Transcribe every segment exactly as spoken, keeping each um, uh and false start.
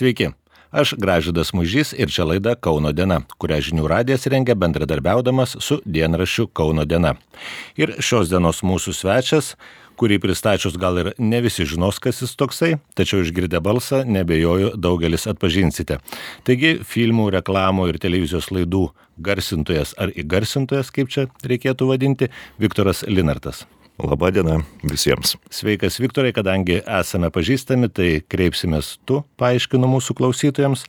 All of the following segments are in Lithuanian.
Sveiki, aš Gražvydas Mužys ir čia laida Kauno diena, kurią Žinių radijas rengia bendradarbiaudamas su dienraščiu Kauno diena. Ir šios dienos mūsų svečias, kurį pristačius gal ir ne visi žinos, kas jis toksai, tačiau išgirdę balsą nebejoju daugelis atpažinsite. Taigi filmų, reklamų ir televizijos laidų garsintojas ar įgarsintojas, kaip čia reikėtų vadinti, Viktoras Linartas. Labą dieną visiems. Sveikas, Viktorai, kadangi esame pažįstami, tai kreipsimės tu, paaiškinu mūsų klausytojams.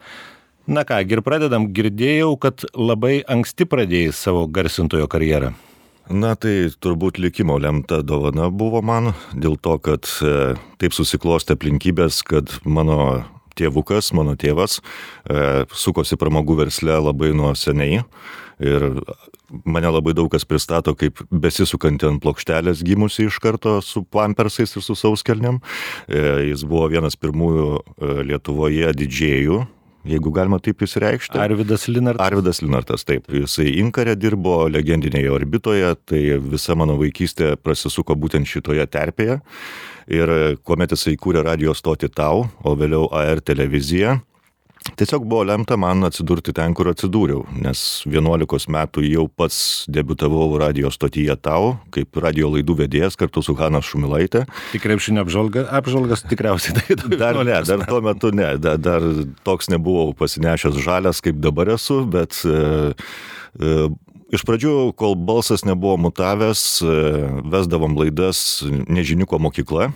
Na ką, ir pradedam, girdėjau, kad labai anksti pradėjai savo garsintojo karjerą. Na tai turbūt likimo lemta dovana buvo man, dėl to, kad e, taip susiklostė aplinkybės, kad mano tėvukas, mano tėvas e, sukosi pramogų versle labai nuo seniai ir mane labai daug kas pristato kaip besisukantį ant plokštelės gimusi iš karto su pampersais ir su sauskelnėm. E, jis buvo vienas pirmųjų e, Lietuvoje didžėjų, jeigu galima taip įsireikšti. Arvydas Linartas. Arvydas Linartas, taip. Jisai Inkare dirbo, legendinėje orbitoje, tai visa mano vaikystė prasisuko būtent šitoje terpėje. Ir kuomet jisai kūrė radio stotį Tau, o vėliau A R televiziją, tiesiog buvo lemta man atsidurti ten, kur atsidūriau, nes vienuolikos metų jau pats debiutavau radio stotyje Tau, kaip radio laidų vedėjas kartu su Hana Šumilaitė. Tik krepšinio apžvalga, apžvalgas tikriausiai. Tai dar ne, dar tuo metu ne, dar, dar toks nebuvau pasinešęs žalias, kaip dabar esu, bet e, e, iš pradžių, kol balsas nebuvo mutavęs, e, vesdavom laidas Nežiniuko mokykla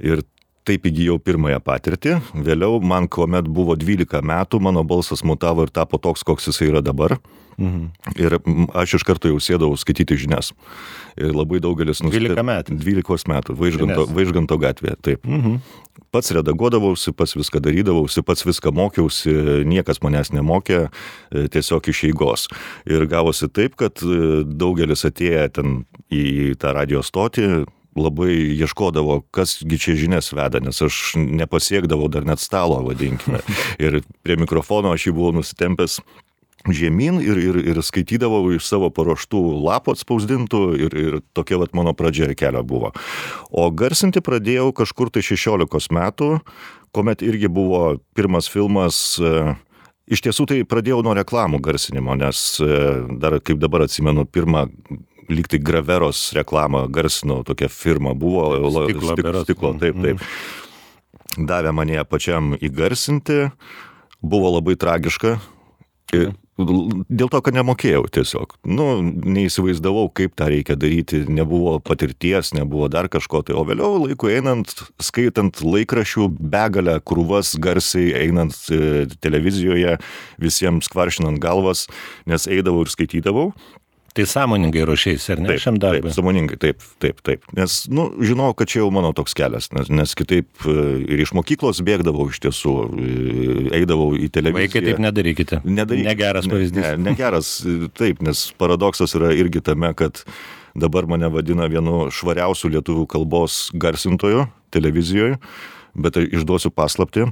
ir taip įgijau pirmąją patirtį. Vėliau man, kuomet buvo dvylika metų, mano balsas mutavo ir tapo toks, koks jisai yra dabar. Mhm. Ir aš iš karto jau sėdau skaityti žinias. Ir labai daugelis nusipirko. dvylika metų. dvylikos metų, Vaižganto, Vaižganto gatvėje, taip. Mhm. Pats redaguodavausi, pats viską darydavausi, pats viską mokiausi, niekas manęs nemokė, tiesiog iš eigos. Ir gavosi taip, kad daugelis atėję ten į tą radio stotį, labai ieškodavo, kasgi čia žinias veda, nes aš nepasiekdavau dar net stalo, vadinkime. Ir prie mikrofono aš jį buvau nusitempęs žemyn ir, ir, ir skaitydavau iš savo paruoštų lapų atspausdintų ir, ir tokia vat mano pradžia kelio buvo. O garsinti pradėjau kažkur tai šešiolikos metų, kuomet irgi buvo pirmas filmas. Iš tiesų tai pradėjau nuo reklamų garsinimo, nes dar, kaip dabar atsimenu, pirmą lyg tai Graveros reklamą garsino, tokia firma buvo, stiklo, stik, stiklo taip, taip. Davė mane pačiam įgarsinti, buvo labai tragiška, dėl to, kad nemokėjau tiesiog. Nu, neįsivaizdavau, kaip tą reikia daryti, nebuvo patirties, nebuvo dar kažko, tai o vėliau laiku einant, skaitant laikraščių begalę krūvas garsiai, einant televizijoje, visiems kvaršinant galvas, nes eidavau ir skaitydavau. Tai sąmoningai ruošėsi, ar ne, taip, šiam darbui? Taip, sąmoningai, taip, taip, taip. Nes, nu, žinau, kad čia jau mano toks kelias, nes, nes kitaip ir iš mokyklos bėgdavau iš tiesų, eidavau į televiziją. Vaikai, taip nedarykite. Nedarykite. Negeras pavyzdys. Ne, negeras, taip, nes paradoksas yra irgi tame, kad dabar mane vadina vienu švariausių lietuvių kalbos garsintojų televizijoje, bet išduosiu paslaptį,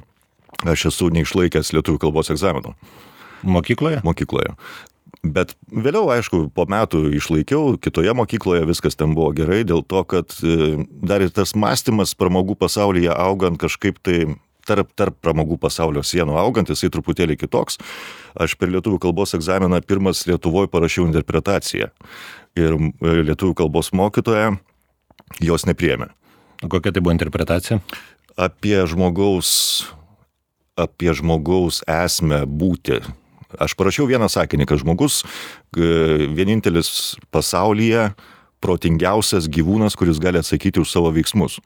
aš esu neišlaikęs lietuvių kalbos egzaminų. Mokykloje? Mokykloje. Bet vėliau, aišku, po metų išlaikiau, kitoje mokykloje viskas ten buvo gerai, dėl to, kad dar ir tas mąstymas pramogų pasaulyje augant kažkaip tai tarp, tarp pramogų pasaulio sienų augant, jisai truputėlį kitoks. Aš per lietuvių kalbos egzaminą pirmas Lietuvoje parašiau interpretaciją ir lietuvių kalbos mokytoja jos nepriėmė. Kokia tai buvo interpretacija? Apie žmogaus, apie žmogaus esmę būti. Aš parašiau vieną sakinį, kad žmogus vienintelis pasaulyje protingiausias gyvūnas, kuris gali atsakyti už savo veiksmus.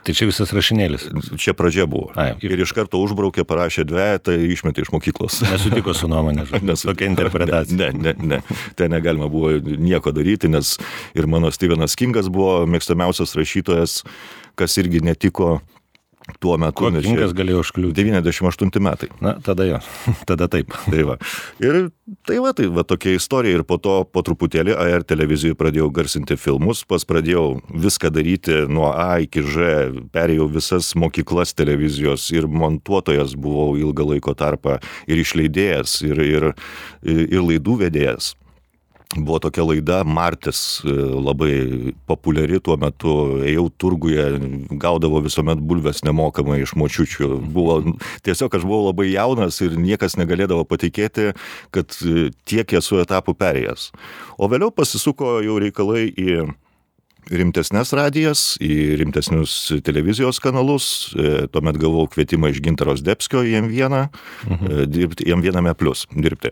Tai čia visas rašinėlis? Čia pradžia buvo. Ai, ir iš karto užbraukė, parašė dvejetą ir išmetė iš mokyklos. Nesutiko su nuomonė, tokia interpretacija. Ne, ne, ne. Tai negalima buvo nieko daryti, nes ir mano Stevenas Kingas buvo mėgstamiausias rašytojas, kas irgi netiko tuo metu. Kuo Kingas galėjo užkliūti? devyniasdešimt aštunti metai. Na, tada jo, tada taip. Tai va. Ir tai va, tai va tokia istorija. Ir po to, po truputėlį A R televizijoje pradėjau garsinti filmus, pas pradėjau viską daryti nuo A iki Ž, perėjau visas mokyklas televizijos ir montuotojas buvau ilgą laiko tarpą ir išleidėjas, ir, ir, ir laidų vedėjas. buvo tokia laida Martis, labai populiari tuo metu, ėjau turguje, gaudavo visuomet bulves nemokamai iš močiučių. Buvo, tiesiog aš buvau labai jaunas ir niekas negalėdavo patikėti, kad tiek esu etapų perėjęs. O vėliau pasisuko jau reikalai į rimtesnės radijas, į rimtesnius televizijos kanalus. Tuomet gavau kvietimą iš Gintaro Zdebskio į M vieną, mhm. dirbti, M viename plus dirbti.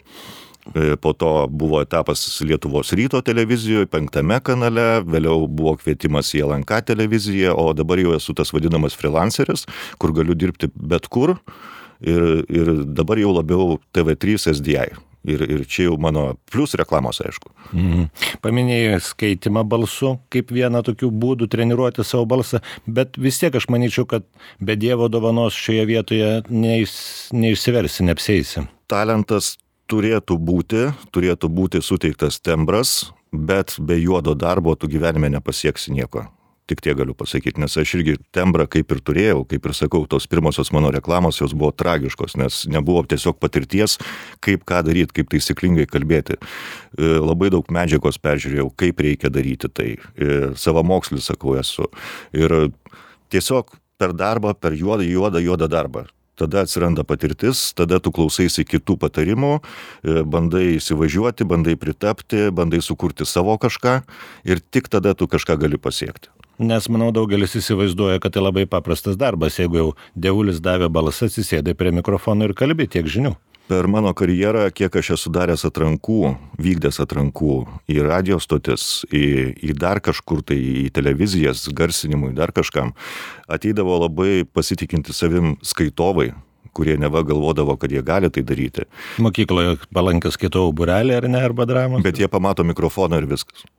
Po to buvo etapas Lietuvos ryto televizijoje, penktame kanale, vėliau buvo kvietimas į L N K televiziją, o dabar jau esu tas vadinamas freelanceris, kur galiu dirbti bet kur ir, ir dabar jau labiau T V trys S D I. Ir, ir čia jau mano plius reklamos, aišku. Mhm. Paminėjai skaitimą balsu kaip vieną tokių būdų treniruoti savo balsą, bet vis tiek aš manyčiau, kad be Dievo dovanos šioje vietoje neiš, neišsiversi, neapsieisi. Talentas turėtų būti, turėtų būti suteiktas tembras, bet be juodo darbo tu gyvenime nepasieksi nieko. Tik tie galiu pasakyti, nes aš irgi tembrą kaip ir turėjau, kaip ir sakau, tos pirmosios mano reklamos jos buvo tragiškos, nes nebuvo tiesiog patirties, kaip ką daryti, kaip taisyklingai kalbėti. Labai daug medžiagos peržiūrėjau, kaip reikia daryti tai. Savamokslis, sakau, esu. Ir tiesiog per darbą, per juodą, juodą, juodą darbą. Tada atsiranda patirtis, tada tu klausaisi kitų patarimų, bandai įsivažiuoti, bandai pritapti, bandai sukurti savo kažką ir tik tada tu kažką gali pasiekti. Nes, manau, daugelis įsivaizduoja, kad tai labai paprastas darbas, jeigu jau dievulis davė balsą, atsisėdai prie mikrofono ir kalbi tiek žinių. Per mano karjerą, kiek aš esu daręs atrankų, vykdęs atrankų į radio stotis, į, į dar kažkur tai, į televizijas, garsinimui, dar kažkam, ateidavo labai pasitikinti savim skaitovai, kurie neva galvodavo, kad jie gali tai daryti. Mokykloje palankiai skaitau būrelį ar ne, arba dramą? Bet jie pamato mikrofoną ir viskas.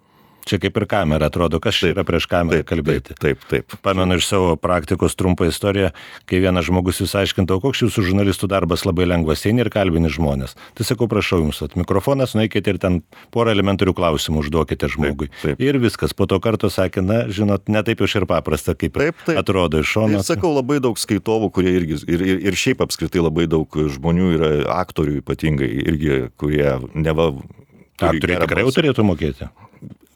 Čia kaip ir kamera, atrodo, kas čia yra prieš kamerą taip, kalbėti. Taip, taip, taip. Pamenu iš savo praktikos trumpą istoriją, kai vienas žmogus jūs aiškintavo, koks jūsų žurnalistų darbas labai lengvas, eini ir kalbini žmonės. Tai sakau, prašau jums, at mikrofonas, nueikite ir ten porą elementarių klausimų užduokite žmogui. Taip, taip. Ir viskas. Po to karto sakė, na, žinot, ne taip jau ir paprasta, kaip taip, taip. Atrodo iš šono. Ir sakau, labai daug skaitovų, kurie irgi, ir, ir, ir šiaip apskritai labai daug žmonių yra, aktorių ypatingai, irgi, kurie neva... Aktoriai tikrai jau turėtų mokėti.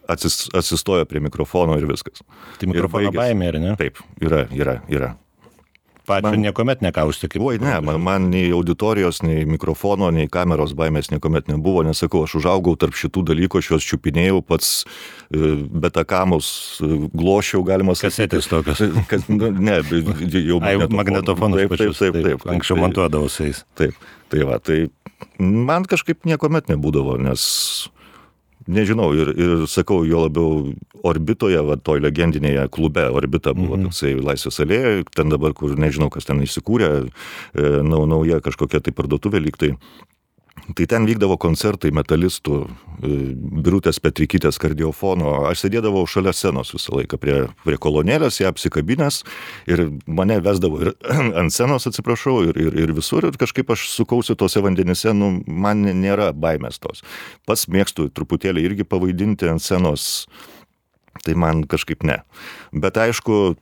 Atsis, atsistoja prie mikrofono ir viskas. Tai mikrofono baimė, ar ne? Taip, yra, yra, yra. Pačiu man, niekuomet nekausti kaip... Oi, ne, man, man nei auditorijos, nei mikrofono, nei kameros baimės niekuomet nebuvo, nesakau, aš užaugau tarp šitų dalykų, aš juos čiupinėjau, pats betakamus glošiau, galima sakyti. Kasetės tokios. Kas, ne, jau magnetofonus. Magnetofonus pačius. Taip, taip, taip. Anksčiau montuodavau su jais. Taip, tai va, tai man kažkaip niekuomet nebūdavo, nes... Nežinau, ir, ir sakau, jo labiau Orbitoje, va, toj legendinėje klube, Orbita buvo mm-hmm. toksai Laisvės alėja, ten dabar, kur nežinau, kas ten įsikūrė, e, nau, nauja kažkokia tai parduotuvė lyg tai. Tai ten vykdavo koncertai metalistų, Birutės Petrikytės kardiofono, aš sėdėdavau šalia scenos visą laiką, prie, prie kolonėlės, ją apsikabinęs ir mane vesdavo ir ant scenos, atsiprašau, ir, ir, ir visur, ir kažkaip aš sukausi tose vandenyse, nu, man nėra baimės tos. Pats mėgstu truputėlį irgi pavaidinti ant scenos, tai man kažkaip ne. Bet aišku,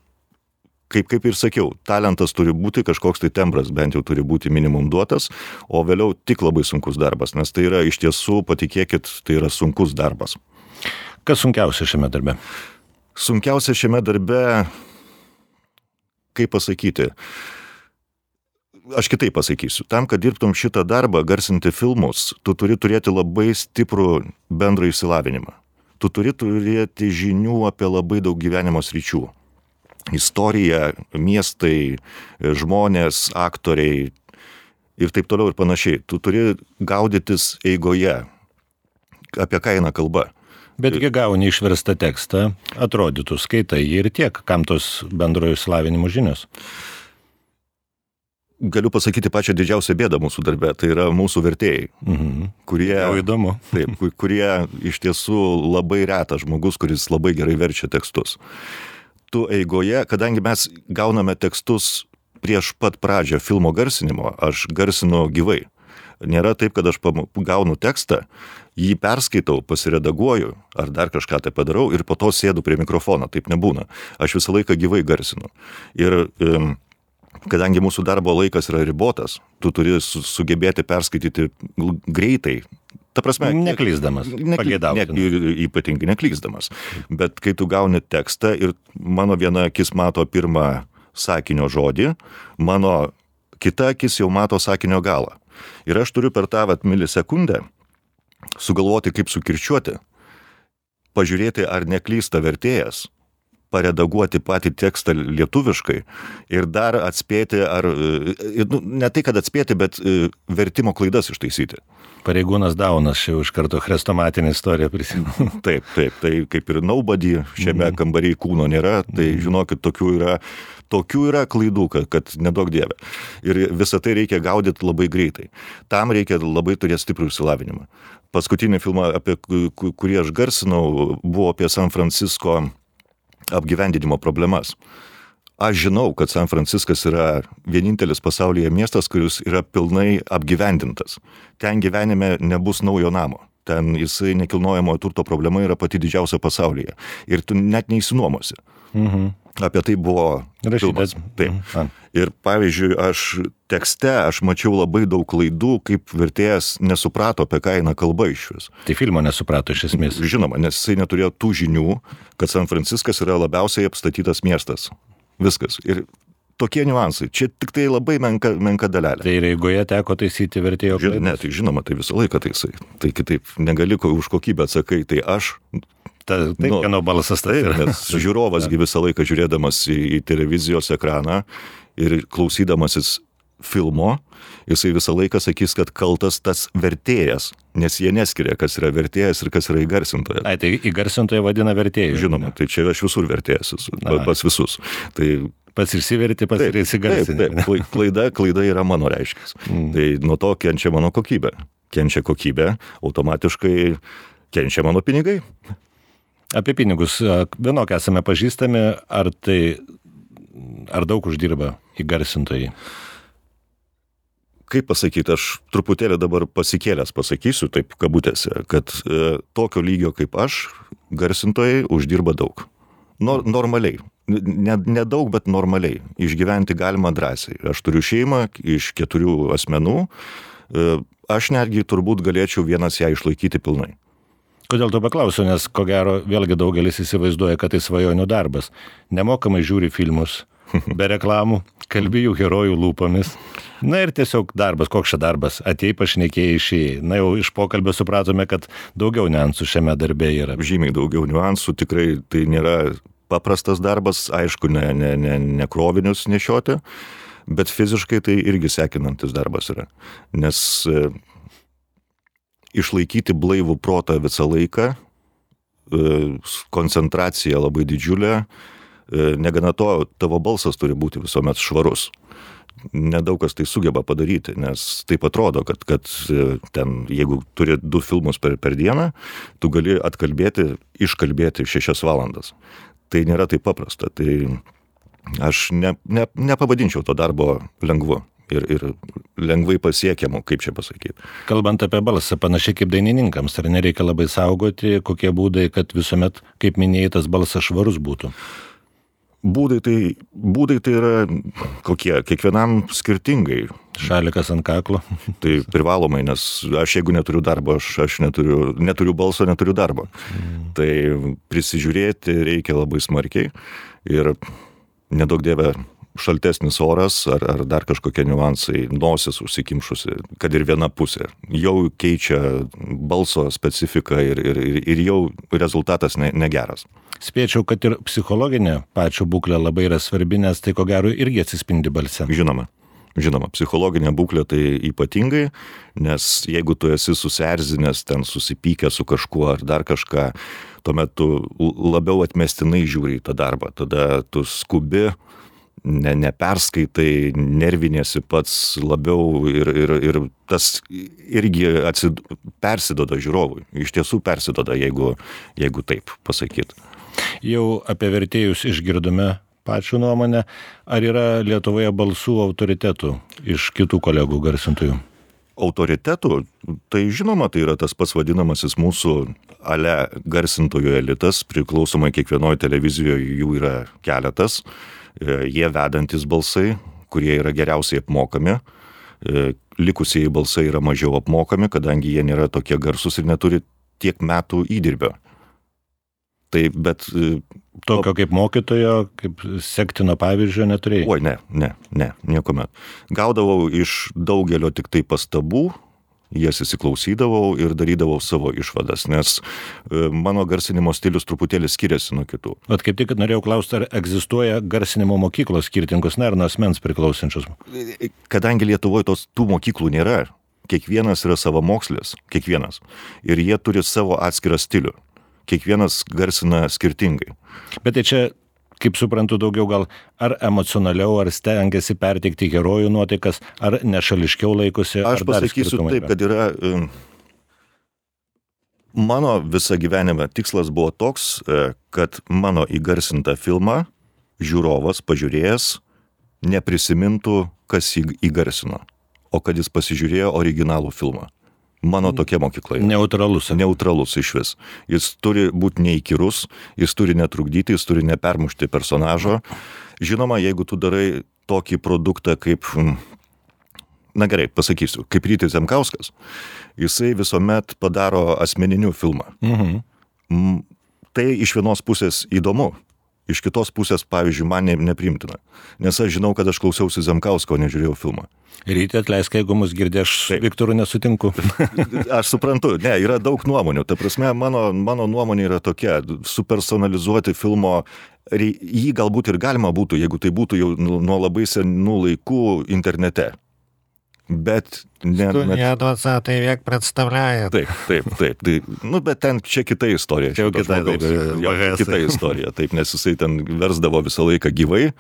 Kaip, kaip ir sakiau, talentas turi būti, kažkoks tai tembras bent jau turi būti minimum duotas, o vėliau tik labai sunkus darbas, nes tai yra iš tiesų, patikėkit, tai yra sunkus darbas. Kas sunkiausia šiame darbe? Sunkiausia šiame darbe, kaip pasakyti, aš kitaip pasakysiu, tam, kad dirbtum šitą darbą, garsinti filmus, tu turi turėti labai stiprų bendrą išsilavinimą. Tu turi turėti žinių apie labai daug gyvenimo sričių. Istorija, miestai, žmonės, aktoriai ir taip toliau ir panašiai. Tu turi gaudytis eigoje, apie ką eina kalba. Betgi gauni išverstą tekstą, atrodytų, skaitai ir tiek, kam tos bendrojo išsilavinimo žinios. Galiu pasakyti pačią didžiausią bėdą mūsų darbe, tai yra mūsų vertėjai, mhm. kurie, jau įdomu. Taip, kurie iš tiesų labai retas žmogus, kuris labai gerai verčia tekstus. Tu eigoje, kadangi mes gauname tekstus prieš pat pradžią filmo garsinimo, aš garsinu gyvai. Nėra taip, kad aš gaunu tekstą, jį perskaitau, pasiredaguoju ar dar kažką tai padarau ir po to sėdu prie mikrofono. Taip nebūna. Aš visą laiką gyvai garsinu. Ir um, kadangi mūsų darbo laikas yra ribotas, tu turi su, sugebėti perskaityti greitai Ta prasme, neklysdamas, pageidautina. Ne, ypatingai neklysdamas. Bet kai tu gauni tekstą ir mano viena akis mato pirmą sakinio žodį, mano kita akis jau mato sakinio galą. Ir aš turiu per tą vat milisekundę sugalvoti, kaip sukirčiuoti, pažiūrėti, ar neklysta vertėjas, paredaguoti patį tekstą lietuviškai ir dar atspėti, ar, nu, ne tai, kad atspėti, bet vertimo klaidas ištaisyti. Pareigūnas Daunas, čia iš karto chrestomatinė istorija prisimenu. Taip, taip, tai kaip ir nobody, šiame mm. kambaryje kūno nėra, tai žinokit, tokių yra, tokių yra klaidų, kad, kad nedaug dievė. Ir visą tai reikia gaudyti labai greitai. Tam reikia labai turėti stiprų išsilavinimą. Paskutinį filmą, apie kurį aš garsinau, buvo apie San Francisco apgyvendinimo problemas. Aš žinau, kad San Franciskas yra vienintelis pasaulyje miestas, kuris yra pilnai apgyvendintas. Ten gyvenime nebus naujo namo. Ten jisai nekilnojamojo turto problema yra pati didžiausia pasaulyje. Ir tu net neįsinuomosi. Mhm. Apie tai buvo filmas. Taip. Mhm. Ir pavyzdžiui, aš tekste, aš mačiau labai daug klaidų, kaip vertėjas nesuprato, apie ką eina kalba išvis. Tai filmo nesuprato iš esmės. Žinoma, nes jisai neturėjo tų žinių, kad San Franciskas yra labiausiai apstatytas miestas. Viskas. Ir tokie niuansai. Čia tik tai labai menka, menka dalelė. Tai ir eigoje teko taisyti vertėjo klaidas? Ne, tai žinoma, tai visą laiką taisai. Tai kitaip negali už kokybę atsakai, tai aš... Ta, taip, nu, kieno balsas tai yra. Nes žiūrovasgi visą laiką žiūrėdamas į, į televizijos ekraną ir klausydamasis filmo, jisai visą laiką sakys, kad kaltas tas vertėjas, nes jie neskiria, kas yra vertėjas ir kas yra įgarsintojas. Ai, tai įgarsintoje vadina vertėjai. Žinoma, tai čia aš visur vertėjas, pas visus. Tai pats išsiverti, pats ir įsigarsinti. Taip, taip, klaida, klaida yra mano reiškis. Mm. Tai nuo to kenčia mano kokybė. Kenčia kokybė, automatiškai kenčia mano pinigai. Apie pinigus, vienok esame pažįstami, ar tai, ar daug uždirba įgarsintojai? Kaip pasakyti, aš truputėlį dabar pasikėlęs pasakysiu, taip kabutėse, kad e, tokio lygio kaip aš, garsintojai uždirba daug. Nor, normaliai. Ne, ne daug, bet normaliai. Išgyventi galima drąsiai. Aš turiu šeimą iš keturių asmenų. E, aš netgi turbūt galėčiau vienas ją išlaikyti pilnai. Kodėl to paklausiu, nes ko gero vėlgi daugelis įsivaizduoja, kad tai svajonių darbas. Nemokamai žiūri filmus, be reklamų, kalbi jų herojų lūpomis. Na ir tiesiog darbas, koks čia darbas, atėjai pašnekėjai išėjai. Na jau iš pokalbio supratome, kad daugiau niuansų šiame darbe yra. Žymiai daugiau niuansų, tikrai tai nėra paprastas darbas, aišku, ne, ne, ne, ne krovinius nešioti, bet fiziškai tai irgi sekinantis darbas yra. Nes e, išlaikyti blaivų protą visą laiką, e, koncentracija labai didžiulė, e, negana to, tavo balsas turi būti visuomet švarus. Nedaug kas tai sugeba padaryti, nes taip atrodo, kad, kad ten, jeigu turi du filmus per, per dieną, tu gali atkalbėti, iškalbėti šešias valandas. Tai nėra taip paprasta. Tai aš ne, ne, nepavadinčiau to darbo lengvu ir, ir lengvai pasiekiamu, kaip čia pasakyti. Kalbant apie balsą, panašiai kaip dainininkams, ar nereikia labai saugoti, kokie būdai, kad visuomet, kaip minėjai, tas balsas švarus būtų? Būdai tai, būdai tai yra kokie, kiekvienam skirtingai. Šalikas ant kaklo. Tai privalomai, nes aš jeigu neturiu darbo, aš, aš neturiu, neturiu balso, neturiu darbo. Mm. Tai prisižiūrėti reikia labai smarkiai ir nedaug dieve šaltesnis oras ar, ar dar kažkokie niuansai, nosis užsikimšusi, kad ir viena pusė. Jau keičia balso specifiką ir, ir, ir jau rezultatas ne, negeras. Spėčiau, kad ir psichologinė pačio būklė labai yra svarbi, nes tai ko gero irgi atsispindi balse. Žinoma, žinoma, psichologinė būklė tai ypatingai, nes jeigu tu esi susierzinęs, ten susipykęs su kažkuo ar dar kažką, tuomet tu labiau atmestinai žiūri į tą darbą, tada tu skubi, ne, neperskaitai, nervinėsi pats labiau ir, ir, ir tas irgi atsid, persidoda žiūrovui. Iš tiesų persidoda, jeigu, jeigu taip pasakyti. Jau apie vertėjus išgirdome pačių nuomonę. Ar yra Lietuvoje balsų autoritetų iš kitų kolegų garsintojų? Autoritetų? Tai žinoma, tai yra tas pats vadinamasis mūsų ale garsintojų elitas. Priklausomai kiekvienoje televizijoje jų yra keletas. Jie vedantis balsai, kurie yra geriausiai apmokami. likusieji balsai yra mažiau apmokami, kadangi jie nėra tokie garsus ir neturi tiek metų įdirbio. Tai, bet... Tokio kaip mokytojo, kaip sektino pavyzdžio neturėjai? Oi, ne, ne, ne, niekuomet. Gaudavau iš daugelio tik tai pastabų, jas įsiklausydavau ir darydavau savo išvadas, nes mano garsinimo stilius truputėlį skiriasi nuo kitų. Vat kaip tik norėjau klausti, ar egzistuoja garsinimo mokyklos skirtingus, ne, ar nuo asmens priklausančius? Kadangi Lietuvoje tos tų mokyklų nėra, kiekvienas yra savamokslis, kiekvienas, ir jie turi savo atskirą stilių. Kiekvienas garsina skirtingai. Bet tai čia, kaip suprantu, daugiau gal ar emocionaliau, ar stengiasi perteikti herojų nuotaikas, ar nešališkiau laikosi, ar Aš pasakysiu taip, kad yra... Mano visą gyvenimą tikslas buvo toks, kad mano įgarsintą filmą žiūrovas, pažiūrėjęs, neprisimintų, kas jį įgarsino, o kad jis pasižiūrėjo originalų filmą. Mano tokia mokykla. Neutralus. Neutralus iš vis. Jis turi būti neįkyrus, jis turi netrukdyti, jis turi nepermušti personažo. Žinoma, jeigu tu darai tokį produktą kaip, na gerai, pasakysiu, kaip Rytis Zemkauskas, jisai visuomet padaro asmeninių filmą. Mhm. Tai iš vienos pusės įdomu. Iš kitos pusės, pavyzdžiui, man ne, nepriimtina. Nes aš žinau, kad aš klausiausi Zemkausko, nežiūrėjau filmą. Ryti, atleisk, jeigu mus girdė, aš Taip. Viktoru nesutinku. Aš suprantu, ne, yra daug nuomonių. Ta prasme, mano, mano nuomonė yra tokia, supersonalizuoti filmo, jį galbūt ir galima būtų, jeigu tai būtų jau nuo labai senų laikų internete. Bet... Studija двадцатый век представляет. Taip, taip, taip. Tai, nu, bet ten čia kita istorija. Čia jau kita, taip, jau, kita istorija, taip, nes jisai ten versdavo visą laiką gyvai.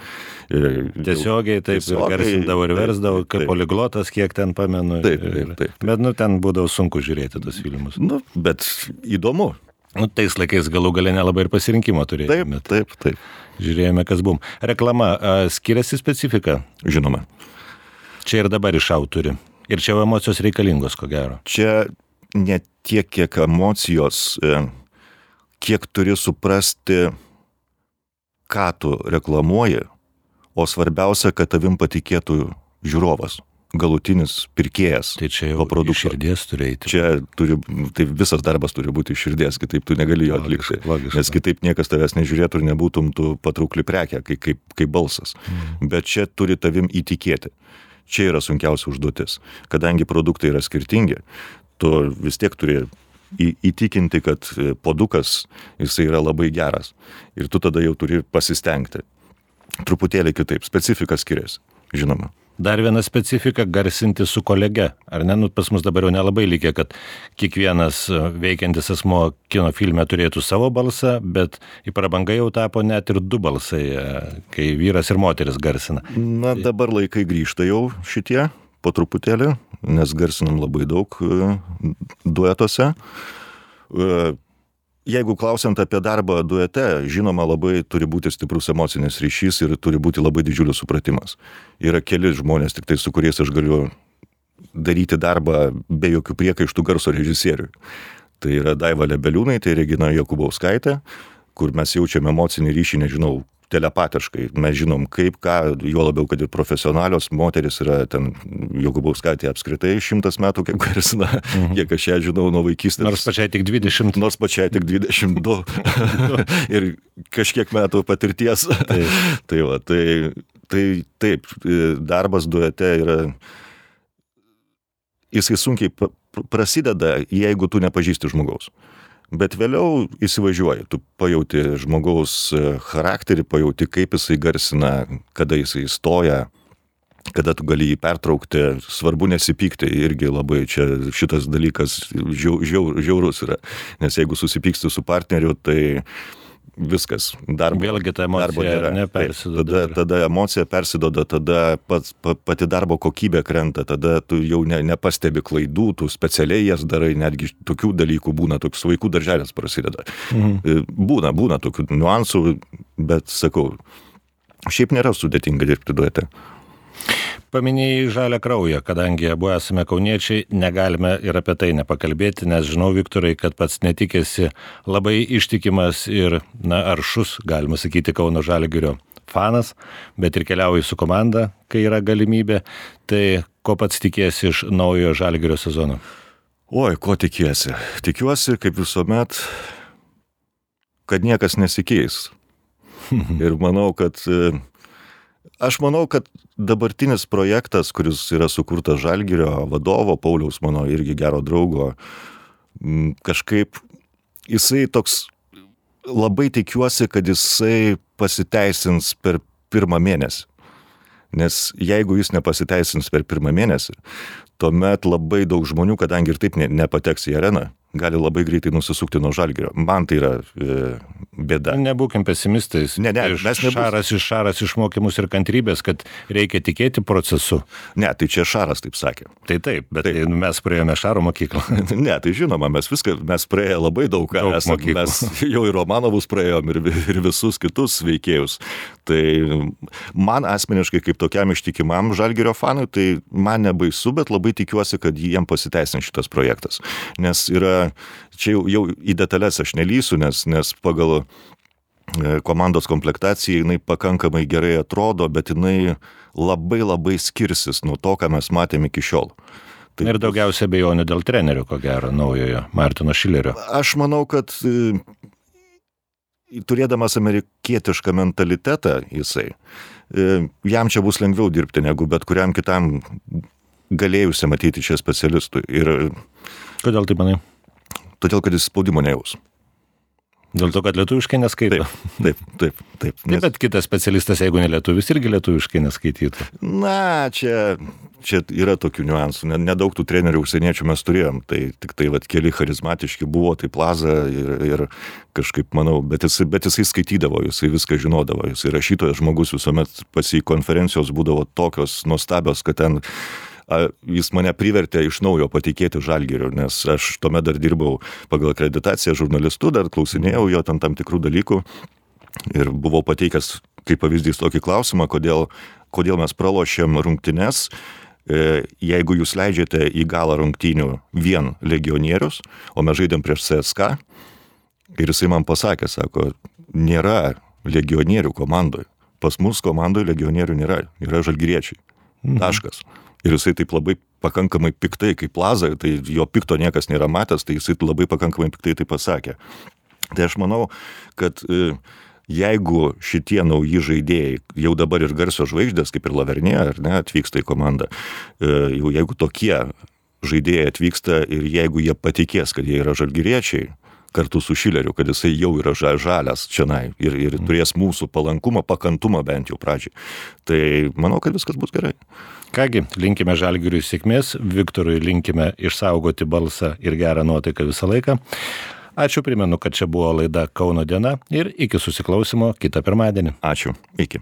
Tiesiogiai, taip, tiesiogiai, ir garsindavo ir versdavo, kaip poliglotas, kiek ten pamenu. Taip, taip, taip. Bet, nu, ten būdavo sunku žiūrėti tos filmus. Nu, bet įdomu. Nu, tais laikais galų galę nelabai ir pasirinkimo turėjome. Taip, taip, taip. Žiūrėjome, kas buvom. Reklama, skiriasi specifika? Žinoma. Čia ir dabar iš autorių. Ir čia emocijos reikalingos, ko gero. Čia ne tiek, kiek emocijos, kiek turi suprasti, ką tu reklamuoji, o svarbiausia, kad tavim patikėtų žiūrovas, galutinis pirkėjas. Tai čia jau iš širdies turi eiti. Čia turi, tai visas darbas turi būti iš širdies, kitaip tu negali jo atlikti. Nes kitaip niekas tavęs nežiūrėtų ir nebūtum tu patraukli prekė, kaip, kaip, kaip balsas. Mm. Bet čia turi tavim įtikėti. Čia yra sunkiausia užduotis. Kadangi produktai yra skirtingi, tu vis tiek turi įtikinti, kad puodukas jisai yra labai geras. Ir tu tada jau turi pasistengti. Truputėlį kitaip. Specifika skiriasi, žinoma. Dar viena specifika - garsinti su kolege. Ar ne? Nu, pas mus dabar jau nelabai lygia, kad kiekvienas veikiantis asmo kino filme turėtų savo balsą, bet į prabangą jau tapo net ir du balsai, kai vyras ir moteris garsina. Na, dabar laikai grįžta jau šitie, po truputėlį, nes garsinam labai daug duetuose. Jeigu klausiant apie darbą duete, žinoma, labai turi būti stiprus emocinis ryšys ir turi būti labai didžiulis supratimas. Yra keli žmonės, tik tai su kuriais aš galiu daryti darbą be jokių priekaištų garso režisieriui. Tai yra Daiva Lebeliūnaitė, Regina Jokubauskaitė, kur mes jaučiame emocinį ryšį, nežinau, telepatiškai. Mes žinom kaip, ką, juo labiau, kad ir profesionalios moteris yra ten Jokubauskaitė apskritai šimtas metų, kaip garsina, mhm. kiek aš ją žinau nuo vaikystės. Nors pačiai tik dvidešimt. Nors pačiai tik dvidešimt du. Ir kažkiek metų patirties. Tai, tai, va, tai, tai taip, darbas duete yra, jisai sunkiai prasideda, jeigu tu nepažįsti žmogaus. Bet vėliau įsivažiuoji, tu pajauti žmogaus charakterį, pajauti, kaip jisai garsina, kada jisai stoja, kada tu gali jį pertraukti, svarbu nesipykti, irgi labai čia šitas dalykas žiau, žiau, žiaurus yra, nes jeigu susipyksti su partneriu, tai viskas, darbo, vėlgi ta emocija nepersidoda. Tada, tada emocija persidoda, tada pats, pati darbo kokybė krenta, tada tu jau ne, nepastebi klaidų, tu specialiai jas darai, netgi tokių dalykų būna, toks vaikų darželis prasideda. Mhm. Būna, būna tokių niuansų, bet sakau, šiaip nėra sudėtinga dirbti duete. Paminėjai žalią kraują, kadangi abu esame kauniečiai, negalime ir apie tai nepakalbėti, nes žinau, Viktorai, kad pats netikėsi labai ištikimas ir, na, aršus, galima sakyti, Kauno Žalgirio fanas, bet ir keliauji su komanda, kai yra galimybė. Tai ko pats tikiesi iš naujojo Žalgirio sezono? Oi, ko tikiesi? Tikiuosi, kaip visuomet, kad niekas nesikeis. Ir manau, kad aš manau, kad dabartinis projektas, kuris yra sukurtas Žalgirio vadovo, Pauliaus, mano irgi gero draugo, kažkaip jisai toks, labai tikiuosi, kad jisai pasiteisins per pirmą mėnesį. Nes jeigu jis nepasiteisins per pirmą mėnesį, tuomet labai daug žmonių, kadangi ir taip ne, nepateks į areną, gali labai greitai nusisukti nuo Žalgirio. Man tai yra e, bėda. Nebūkim pesimistais. Ne, ne, mes nebus... Šaras iš Šaras išmokymus ir kantrybės, kad reikia tikėti procesu. Ne, tai čia Šaras taip sakė. Tai taip, bet taip. Mes praėjome Šaro mokyklą. Ne, tai žinoma, mes viską, mes praėję labai daug ką. Daug esam, mokyklų. Mes jau ir Romanovus praėjom ir, ir visus kitus veikėjus. Tai man asmeniškai kaip tokiam ištikimam Žalgirio fanui, tai man nebaisu, bet labai tikiuosi, kad jiem pasiteisins šitas projektas. Nes yra čia jau, jau į detalės aš nelysiu, nes, nes pagal komandos komplektaciją jinai pakankamai gerai atrodo, bet jinai labai labai skirsis nuo to, ką mes matėme iki šiol. Tai ir daugiausia abejonių dėl trenerių, ko gero, naujojo Martino Šilerio. Aš manau, kad turėdamas amerikietišką mentalitetą jisai, jam čia bus lengviau dirbti negu bet kuriam kitam galėjusi matyti čia specialistui. Ir kodėl taip manai? Todėl, kad jis spaudimo nejaus. Dėl to, kad lietuviškai neskaito. Taip, taip, taip. taip. Nes... Bet kitas specialistas, jeigu ne lietuvis, irgi lietuviškai neskaitytų. Na, čia, čia yra tokių niuansų. Nedaug tų trenerių užsieniečių mes turėjom. Tai tik tai vat, keli charizmatiški buvo, tai Plaza ir, ir kažkaip, manau, bet jisai, bet jisai skaitydavo, jisai viską žinodavo. Jisai rašytojas žmogus visuomet pas jį konferencijos būdavo tokios nuostabios, kad ten jis mane privertė iš naujo patikėti Žalgiriu, nes aš tuomet dar dirbau pagal akreditaciją žurnalistu, dar klausinėjau jo tam, tam tikrų dalykų ir buvau pateikęs kaip pavyzdys tokį klausimą, kodėl, kodėl mes pralošėm rungtynes, jeigu jūs leidžiate į galą rungtynių vien legionierius, o mes žaidėm prieš C S K, ir jisai man pasakė, sako, nėra legionierių komandoje, pas mus komandoje legionierių nėra, yra žalgiriečiai, taškas. Ir jisai taip labai pakankamai piktai, kaip Plaza, tai jo pikto niekas nėra matęs, tai jisai labai pakankamai piktai tai pasakė. Tai aš manau, kad jeigu šitie nauji žaidėjai, jau dabar ir garsios žvaigždės, kaip ir Lavernė, ar ne, atvyksta į komandą, jau jeigu tokie žaidėjai atvyksta ir jeigu jie patikės, kad jie yra žalgiriečiai, kartu su Šileriu, kad jisai jau yra žalias čionai ir, ir turės mūsų palankumą, pakantumą bent jau pradžiai. Tai manau, kad viskas bus gerai. Kągi, linkime Žalgiriui sėkmės, Viktorui linkime išsaugoti balsą ir gerą nuotaiką visą laiką. Ačiū, primenu, kad čia buvo laida Kauno diena ir iki susiklausimo kitą pirmadienį. Ačiū, iki.